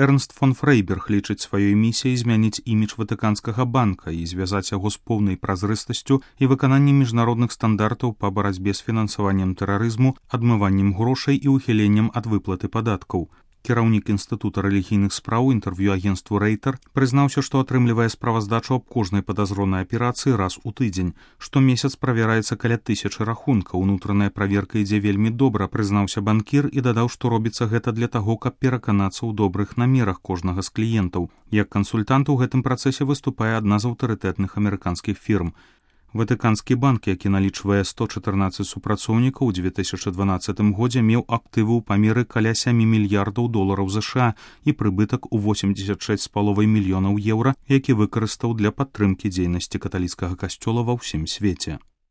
Эрнст фон Фрейберг лічыць сваёй місіяй змяніць імідж Ватыканскага банка і звязаць яго з поўнай празрыстасцю і выкананнем міжнародных стандартаў па барацьбе з фінансаваннем тэрарызму, адмываннем грошай і ухіленнем ад выплаты падаткаў. Кіраўнік Інстытута рэлігійных спраў інтэрв'ю агенству Рейтер прызнаўся, што атрымлівае справаздачу аб кожнай падазронай аперацыі раз у тыдзень. Штомесяц правяраецца каля 1000 рахункаў. Унутраная праверка ідзе вельмі добра, прызнаўся банкір і дадаў, што робіцца гэта для таго, каб пераканацца ў добрых намерах кожнага з кліентаў. Як кансультант у гэтым працэсе выступае адна з аўтарытэтных амерыканскіх фірм. Ватыканскі банк, які налічвае 114 супрацоўнікаў, у 2012 годзе меў актывы ў памеры каля 7 мільярдаў долараў США і прыбытак у 86,5 мільёнаў еўра, які выкарыстаў для падтрымкі дзейнасці каталіцкага касцёла ва ўсім свеце.